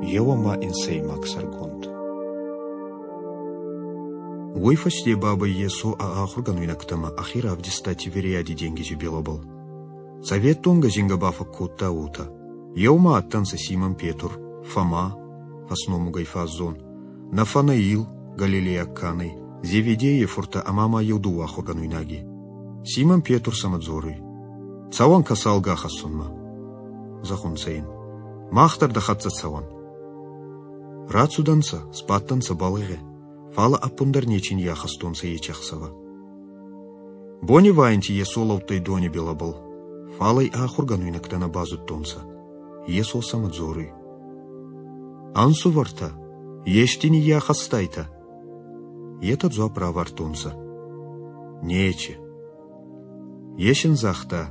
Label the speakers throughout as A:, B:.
A: Еу ӕма инсӕймаг сӕргонд. Уой фӕсте бабӕй Йесо ӕ ахургӕнуйнӕгтӕмӕ ӕхе равдиста Тивериади денгизи билӕбӕл. Цӕветтонгӕ зингӕ ба фӕккодта уотӕ: Еумӕ адтӕнцӕ Симон Петр, Фома, фӕсномугӕй фаззон, Нафанаил, галилейаг ка нӕй, Зеведейи фурттӕ ӕма ма еу дууӕ ахургӕнуйнаги. Симон Петр сӕмӕ дзоруй: Цӕуӕн кӕсалгӕ ахӕссунмӕ. Зӕгъунцӕ ин: Мах дӕр дӕ хӕццӕ цӕуӕн. Рацудӕнцӕ, сбадтӕнцӕ бӕлгъе, фал ӕппундӕр нечи ниййахӕстонцӕ ечи ӕхсӕвӕ. Бонивайӕнти Йесо лӕудтӕй дони билӕбӕл, фал ӕй ахургӕнуйнӕгтӕ нӕ базудтонцӕ. Йесо сӕмӕ дзоруй: Ӕнсувӕртӕ, ести ниййахӕстайтӕ? Етӕ дзуапп равардтонцӕ: Нечи. Ес ин загъта: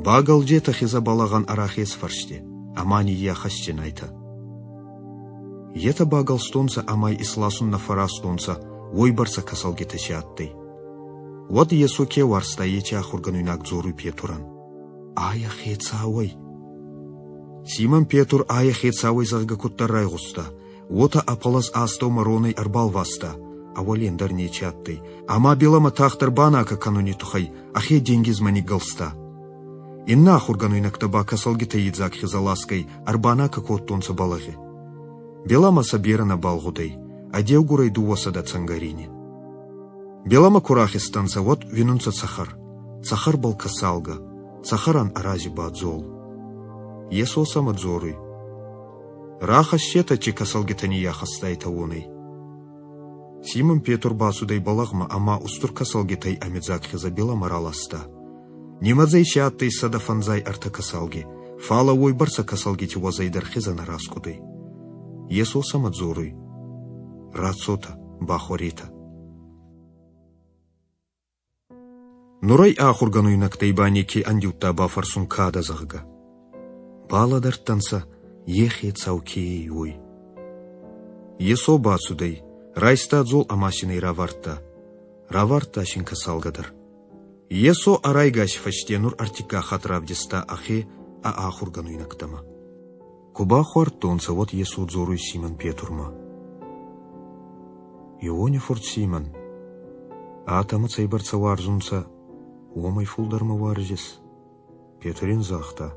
A: Багӕлджетӕ хезӕ бӕлӕгъӕн ӕ рахес фӕрсте, ӕма ниййахӕсдзинайтӕ. Етӕ багӕлстонцӕ ӕма исласун нӕ фӕразтонцӕ, уойбӕрцӕ кӕсалгитӕ си адтӕй. Уӕд Йесо ке уарзта, еци ахургӕнуйнаг дзоруй Петурӕн: Айӕ хецауӕй. Симон Петур айӕ хецауӕй зӕгъгӕ куддӕр райгъуста, уотӕ ӕ пӕлӕз астӕумӕ ронӕй ӕрбалваста, ӕ уӕле ӕндӕр нечи адтӕй, ӕма билӕмӕ тагъддӕр банакӕ кӕнуни туххӕй ӕхе денгизмӕ ниггӕлста. Иннӕ ахургӕнуйнӕгтӕ ба кӕсалгитӕй идзаг хезӕ ласгӕй ӕрбанакӕ кодтонцӕ бӕлӕгъи. Билӕмӕ сӕ берӕ нӕбал гъудӕй, ӕдеугурӕй 200 цӕнгӕрини. Билӕмӕ ку рахизтӕнцӕ, уӕд уинунцӕ цӕхӕр. Цӕхӕрбӕл кӕсалгӕ, цӕхӕрӕн ӕ рази ба дзол. Йесо сӕмӕ дзоруй: Рахӕссетӕ, чи кӕсалгитӕ ниййахӕстайтӕ, уонӕй. Симон Петр бацудӕй бӕлӕгъмӕ ӕма устур кӕсалгитӕй ӕмедзаг хезӕ билӕмӕ раласта. Нимӕдзӕй си адтӕй 153 кӕсалги, фал уойбӕрцӕ кӕсалгити уӕзӕй дӕр хезӕ нӕ раскъудӕй. Йесо сӕмӕ дзоруй: Рацотӕ, бахуӕретӕ. Нур ӕй ахургӕнуйнӕгтӕй ба неке ӕндиудта бафӕрсун ка дӕ, зӕгъгӕ. Балӕдӕрдтӕнцӕ, е хецау ке ӕй, уой. Йесо бацудӕй, райста дзол ӕма син ӕй равардта. Равардта син кӕсалгӕ дӕр. Йесо ӕ райгаси фӕсте нур ӕртиккаг хатт равдиста ӕхе ӕ ахургӕнуйнӕгтӕмӕ. Ку бахуардтонцӕ, уӕд Йесо дзоруй Симон Петрмӕ: Иони фурт Симон, атӕмӕ цӕйбӕрцӕ уарзунцӕ, уомӕй фулдӕр мӕ уарзис? Петр ин загъта: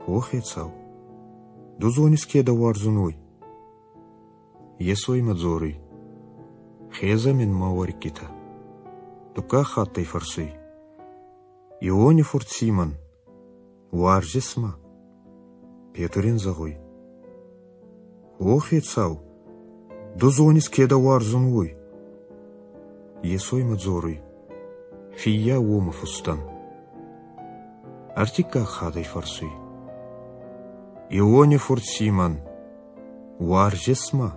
A: О, Хецау, ду зонис, ке дӕ уарзун, уой. Йесо имӕ дзоруй: Хезӕ мин мӕ уӕриккитӕ. Дуккаг хатт ӕй фӕрсуй: Иони фурт Симон, уарзис мӕ? Петр ин зӕгъуй: О, Хецау, ду зонис, ке дӕ уарзун, уой. Йесо имӕ дзоруй: Фиййау уомӕ фустӕн. Ӕртиккаг хатт ӕй фӕрсуй: Иони фурт Симон, уарзис мӕ?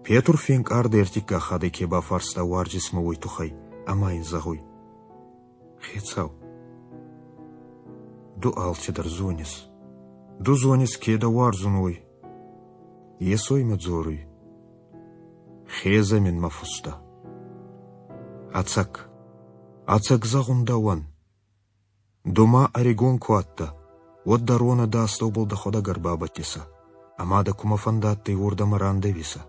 A: Петур фенкъард ӕртиккаг хатт ке бафарста уарзис мӕ, уой туххӕй, ӕма ин зӕгъуй: Хецау, ду алцидӕр зонис. Ду зонис, ке дӕ уарзун, уой. Йесо имӕ дзоруй: Хезӕ мин мӕ фустӕ. Ӕцӕг, ӕцӕг зӕгъун дӕуӕн, ду ма ӕригон ку адтӕ, уӕд дӕ ронӕ дӕ астӕубӕл дӕхуӕдӕг ӕрбабӕттисӕ, ӕма дӕ кумӕ фӕндадтӕй, уордӕмӕ рандӕвисӕ.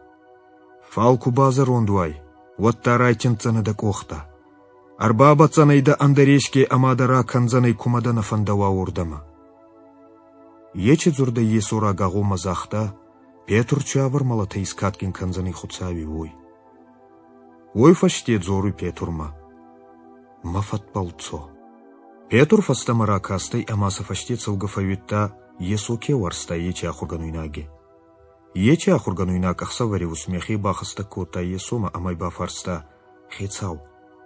A: Фал ку базӕронд уай, уӕдта райтиндздзӕнӕ дӕ къохтӕ. Ӕрбабӕтдзӕнӕй дӕ ӕндӕр еске ӕма дӕ ракӕндзӕнӕй, кумӕ дӕ нӕ фӕндӕуа, уордӕмӕ. Ечи дзурдӕй Йесо рагагъоммӕ загъта, Петр циуавӕр мӕлӕтӕй искадгин кӕндзӕнӕй Хуцауи, уой. Уой фӕсте дзоруй Петурмӕ: Мӕ фӕдбӕл цо. Петур фӕстӕмӕ ракастӕй ӕма сӕ фӕсте цӕугӕ фӕууидта, Йесо ке уарзта, ечи ахургӕнуйнаги. Ечи ахургӕнуйнаг ӕхсӕвӕри усмехи бахӕстӕг кодта Йесомӕ ӕма бафарста: Хецау,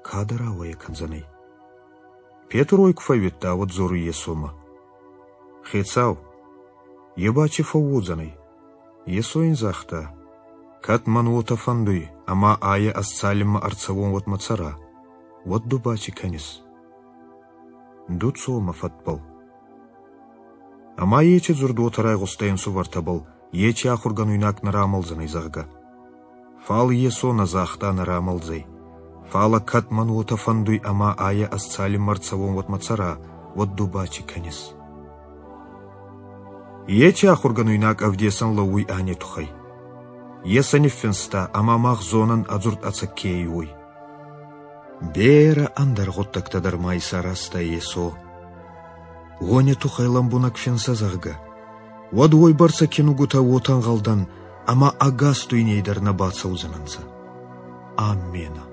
A: ка дӕ рауӕйӕ кӕндзӕнӕй? Петур уой ку фӕууидта, уӕд дзоруй Йесомӕ: Хецау, е ба чи фӕууодзӕнӕй? Йесо ин загъта: Кӕд мӕн уотӕ фӕндуй, ӕма айӕ ӕз цалинмӕ ӕрцӕуон, уӕдмӕ цӕра, уӕд ду ба ци кӕнис? Ду цо мӕ фӕдбӕл. Ӕма ечи дзурд уотӕ райгъустӕй ӕнсувӕртӕбӕл, ечи ахургӕнуйнаг нӕ рамӕлдзӕнӕй, зӕгъгӕ. Фал Йесо нӕ загъта нӕ рамӕлдзӕй. Фалӕ кӕд мӕн уотӕ фӕндуй ӕма айӕ ӕз цалинмӕ ӕрцӕуон, уӕдмӕ цӕра, уӕд ду ба ци кӕнис? Еци ахургӕнуйнаг ӕвдесӕн лӕууй ани туххӕй. Е сӕ ниффинста, ӕма мах зонӕн, ӕ дзурд ӕцӕг ке ӕй, уой. Берӕ ӕндӕр гъуддӕгтӕ дӕр ма исаразта Йесо. Уони туххӕй лӕмбунӕг финсӕ, зӕгъгӕ, уӕд уойбӕрцӕ кинугутӕ уотӕ ӕнгъӕлдӕн, ӕма ӕгас дуйней дӕр нӕ бацӕудзӕнӕнцӕ. Амменӕ.